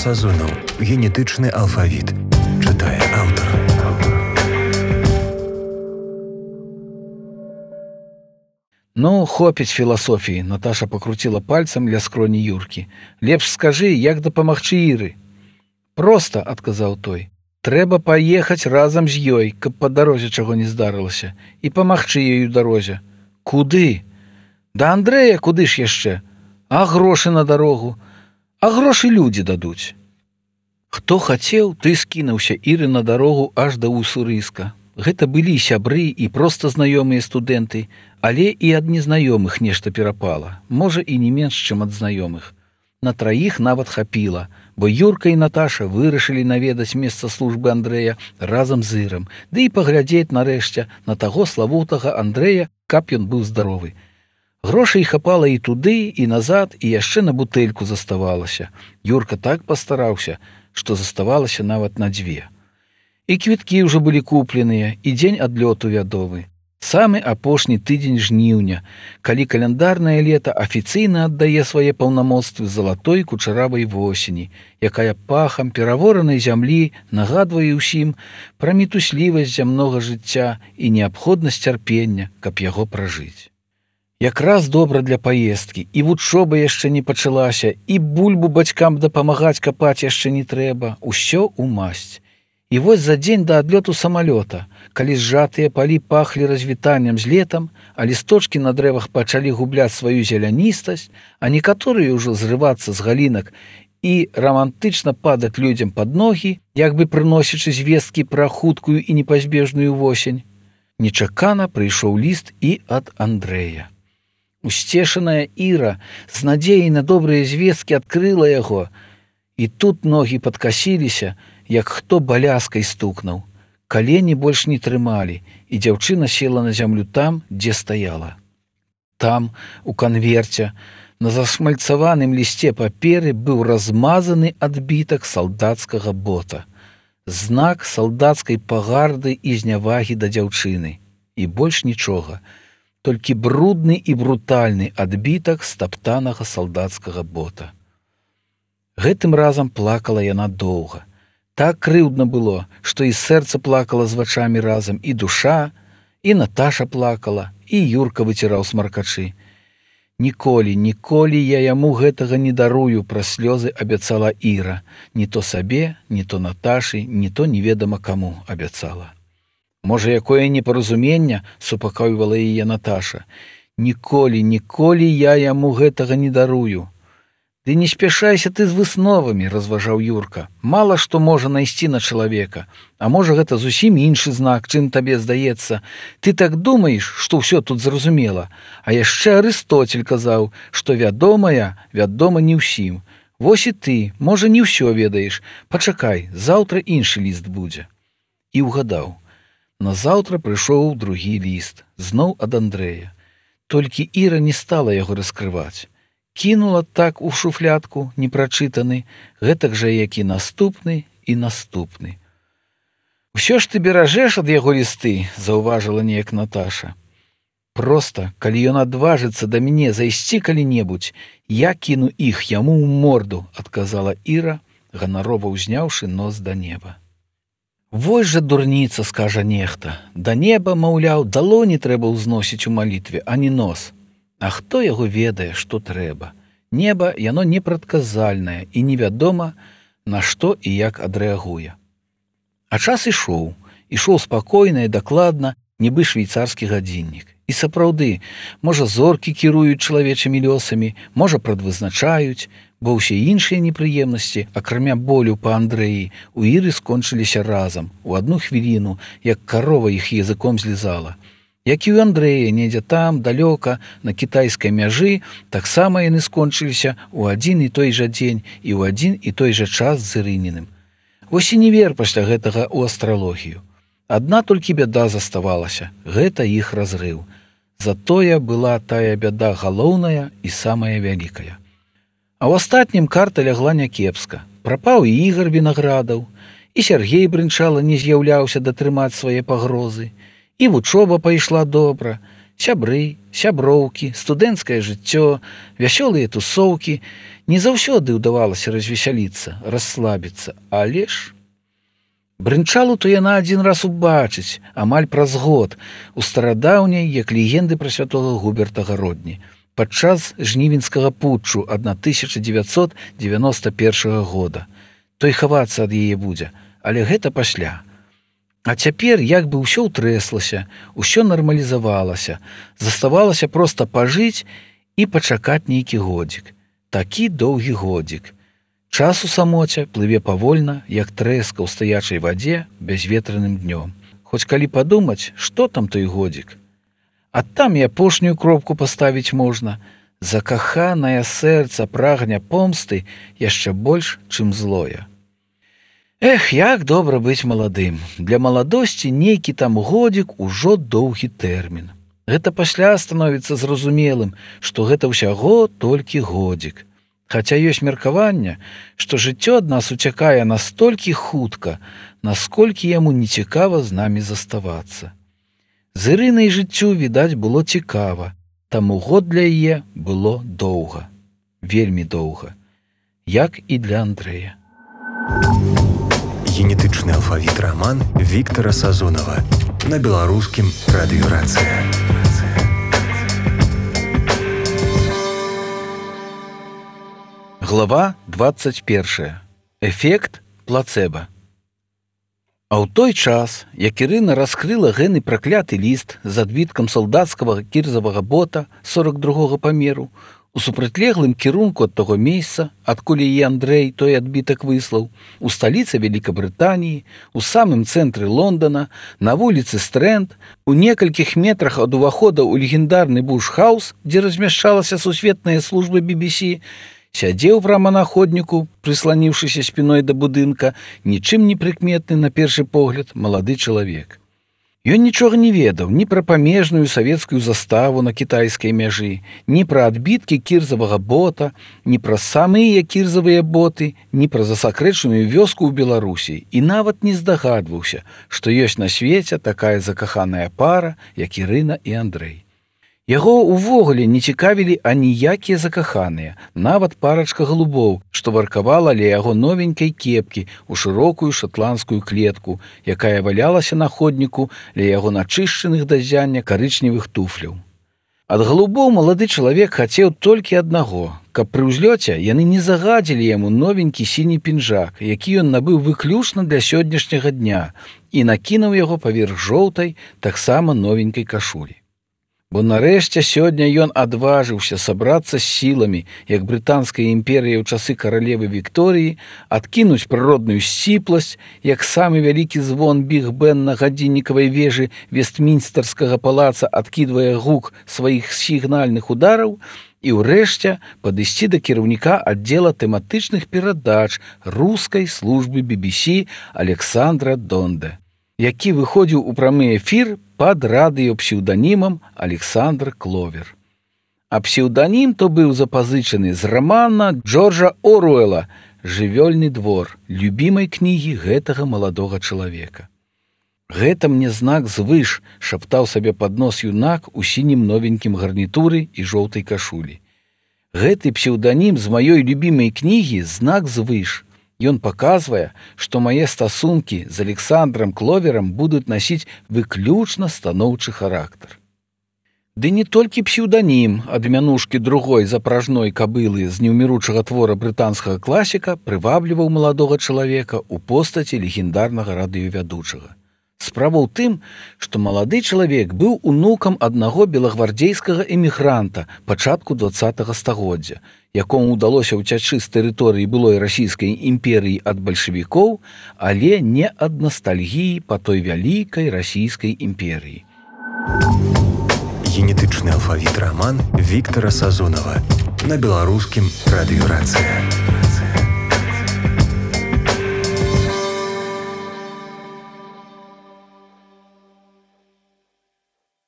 Сазонаў. Генетычны алфавіт. Чытае аўтар. Ну, хопіць філасофіі, Наташа пакруціла пальцам ля скроні Юркі. Лепш скажы, як дапамагчы Іры. Проста, адказаў той. Трэба паехаць разам з ёй, каб па дарозе чаго не здарылася, і памагчы ёй у дарозе. Куды? Да Андрэя куды ж яшчэ? А грошы на дарогу? А грошы людзі дадуць. Хто хацеў, той скінуўся Іры на дарогу аж да Уссурыска. Гэта былі сябры і проста знаёмыя студэнты, але і ад незнаёмых нешта перапала, можа і не менш, чым ад знаёмых. На траіх нават хапіла, бо Юрка і Наташа вырашылі наведаць месца службы Андрэя разам з Ірам, ды і паглядзець нарэшце на таго славутага Андрэя, каб ён быў здаровы. Грошай хапала і туды, і назад, і яшчэ на бутэльку заставалася. Юрка так пастараўся, што заставалася нават на 2. І квіткі ўжо былі купленыя, і дзень адлёту вядомы. Самы апошні тыдзень жніўня, калі каляндарнае лета афіцыйна аддае свае паўнамоцтвы залатой кучаравай восені, якая пахам пераворанай зямлі нагадвае ўсім пра мітуслівасць зямнога жыцця і неабходнасць цярпення, каб яго пражыць. Якраз добра для паездкі, і вучоба яшчэ не пачалася, і бульбу бацькам дапамагаць капаць яшчэ не трэба, усё ў масць. І вось за дзень да адлёту самалёта, калі зжатыя палі пахлі развітаннем з летам, а лісточкі на дрэвах пачалі губляць сваю зеляністасць, а некаторыя ўжо зрывацца з галінак і рамантычна падаць людзям пад ногі, як бы прыносячы звесткі пра хуткую і непазбежную восень, нечакана прыйшоў ліст і ад Андрэя. Усцешаная Іра з надзеяй на добрыя звесткі адкрыла яго, і тут ногі падкасіліся, як хто баляскай стукнуў. Калені больш не трымалі, і дзяўчына села на зямлю там, дзе стаяла. Там, у канверце, на зашмальцаваным лісце паперы быў размазаны адбітак салдацкага бота. Знак салдацкай пагарды і знявагі да дзяўчыны. І больш нічога. Толькі брудны і брутальны адбітак стаптанага салдацкага бота. Гэтым разам плакала яна доўга. Так крыўдна было, што і сэрца плакала з вачамі разам, і душа, і Наташа плакала, і Юрка выціраў смаркачы. Ніколі, ніколі я яму гэтага не дарую, праз слёзы абяцала Іра. Ні то сабе, ні то Наташы, ні то неведама каму абяцала. Можа, якое непаразуменне, супакойвала яе Наташа. Ніколі, ніколі я яму гэтага не дарую. Ды не спяшайся ты з высновамі, разважаў Юрка. Мала што можа найсці на чалавека, а можа гэта зусім іншы знак, чым табе здаецца. Ты так думаеш, што ўсё тут зразумела. А яшчэ Арыстоцель казаў, што вядомае вядома не ўсім. Вось і ты, можа, не ўсё ведаеш. Пачакай, заўтра іншы ліст будзе. І ўгадаў. Назаўтра прыйшоў другі ліст, зноў ад Андрэя. Толькі Іра не стала яго раскрываць. Кінула так у шуфлядку, непрачытаны, гэтак жа, як і наступны, і наступны. «Усё ж ты беражэш ад яго лісты», – заўважыла неяк Наташа. «Проста, калі ён адважыцца да мяне зайсці калі-небудзь, я кіну іх яму ў морду», – адказала Іра, ганарова ўзняўшы нос да неба. «Вось жа дурніца», – скажа нехта. «Да неба, маўляў, далоні трэба ўзносіць у малітве, а не нос». А хто яго ведае, што трэба? Неба, яно непрадказальнае і невядома, на што і як адрэагуе. А час ішоў. Ішоў спакойна і дакладна, нібы швейцарскі гадзіннік. І сапраўды, можа, зоркі кіруюць чалавечымі лёсамі, можа, прадвызначаюць, бо ўсе іншыя непрыемнасці, акрамя болю па Андрэі, у Іры скончыліся разам, у адну хвіліну, як карова іх языком злізала. Як і ў Андрэя, недзе там, далёка, на кітайскай мяжы, таксама яны скончыліся ў адзін і той жа дзень і ў адзін і той жа час з Ірыніным. Вось і не вер пасля гэтага ў астралогію. Адна толькі бяда заставалася, гэта іх разрыў. Затое была тая бяда галоўная і самая вялікая. А ў астатнім карта лягла някепска. Прапаў і Ігар Вінаградаў, і Сяргей Брынчала не з'яўляўся датрымаць свае пагрозы, і вучоба пайшла добра. Сябры, сяброўкі, студэнцкае жыццё, вясёлыя тусоўкі. Не заўсёды ўдавалася развесяліцца, расслабіцца, але ж... Брынчалу то яна адзін раз убачыць, амаль праз год, у старадаўняй, як легенды пра святога Губерта Гародні, падчас жнівеньскага путчу 1991 года. Той хавацца ад яе будзе, але гэта пасля. А цяпер як бы ўсё ўтрэслася, ўсё нармалізавалася, заставалася проста пажыць і пачакаць нейкі годзік. Такі доўгі годзік. Час у самоце плыве павольна, як трэска ў стаячай вадзе бязветраным днём. Хоць калі падумаць, што там той годзік? А там і апошнюю кропку паставіць можна. Закаханае сэрца прагне помсты яшчэ больш, чым злое. Эх, як добра быць маладым. Для маладосці нейкі там годзік ужо доўгі тэрмін. Гэта пасля становіцца зразумелым, што гэта ўсяго толькі годзік. Хаця ёсць меркаванне, што жыццё ад нас уцякае настолькі хутка, насколькі яму нецікава з намі заставацца. З Ірынай жыццю, відаць, было цікава, таму год для яе было доўга, вельмі доўга, як і для Андрэя. Генетычны алфавіт раман Віктара Сазонава на беларускім радыёрацыя. Глава 21. Эфект плацэба. А ў той час, як Ірына раскрыла гэны пракляты ліст з адбіткам салдацкага кірзавага бота 42-го памеру, у супрацьлеглым кірунку ад таго месца, адкуль яе Андрэй той адбітак выслаў, у сталіцы Вялікабрытаніі, у самым цэнтры Лондона, на вуліцы Стрэнд, у некалькіх метрах ад увахода ў легендарны Буш-хаус, дзе размяшчалася сусветная служба BBC, сядзеў прама на ходніку, прысланіўшыся спіной да будынка, нічым не прыкметны на першы погляд малады чалавек. Ён нічога не ведаў ні пра памежную савецкую заставу на кітайскай мяжы, ні пра адбіткі кірзавага бота, ні пра самыя кірзавыя боты, ні пра засакрэчаную вёску ў Беларусі і нават не здагадваўся, што ёсць на свеце такая закаханая пара, як Ірына і Андрэй. Яго ўвогуле не цікавілі аніякія закаханыя, нават парачка голубоў, што варкавала ля яго новенькай кепкі ў шырокую шатландскую клетку, якая валялася на ходніку ля яго начышчаных да ззяння карычневых туфляў. Ад голубоў малады чалавек хацеў толькі аднаго, каб пры ўзлёце яны не загадзілі яму новенькі сіні пінжак, які ён набыў выключна для сённяшняга дня і накінуў яго паверх жоўтай, таксама новенькай кашулі. Бо нарэшце сёння ён адважыўся сабрацца з сіламі, як брытанская імперія ў часы каралевы Вікторыі, адкінуць прыродную сціпласць, як самы вялікі звон біг-бен на гадзіннікавай вежы Вестмінстэрскага палаца адкідвае гук сваіх сігнальных удараў, і ўрэшце падысці да кіраўніка аддзела тэматычных перадач рускай службы BBC Александра Донде, які выходзіў у прамы эфір пад радыёпсеўданімам Александр Кловер. А псеўданім то быў запазычаны з рамана Джорджа Оруэла «Жывёльны двор», любімай кнігі гэтага маладога чалавека. «Гэта мне знак звыш», шаптаў сабе пад нос юнак у сінім новенькім гарнітуры і жоўтай кашулі. «Гэты псеўданім з маёй любімай кнігі знак звыш. Ён паказвае, што мае стасункі з Александром Кловерам будуць насіць выключна станоўчы характар». Ды не толькі псеўданім ад мянушкі другой запражной кабылы з неўміручага твора брытанскага класіка прывабліваў маладога чалавека ў постаці легендарнага радыёвядучага. Справа ў тым, што малады чалавек быў унукам аднаго белагвардзейскага эмігранта пачатку 20-го стагоддзя, якому ўдалося ўцячы з тэрыторыі былой расійскай імперыі ад бальшавікоў, але не ад настальгіі па той вялікай расійскай імперыі. Генетычны алфавіт раман Віктара Сазонава на беларускім радыёрацыя.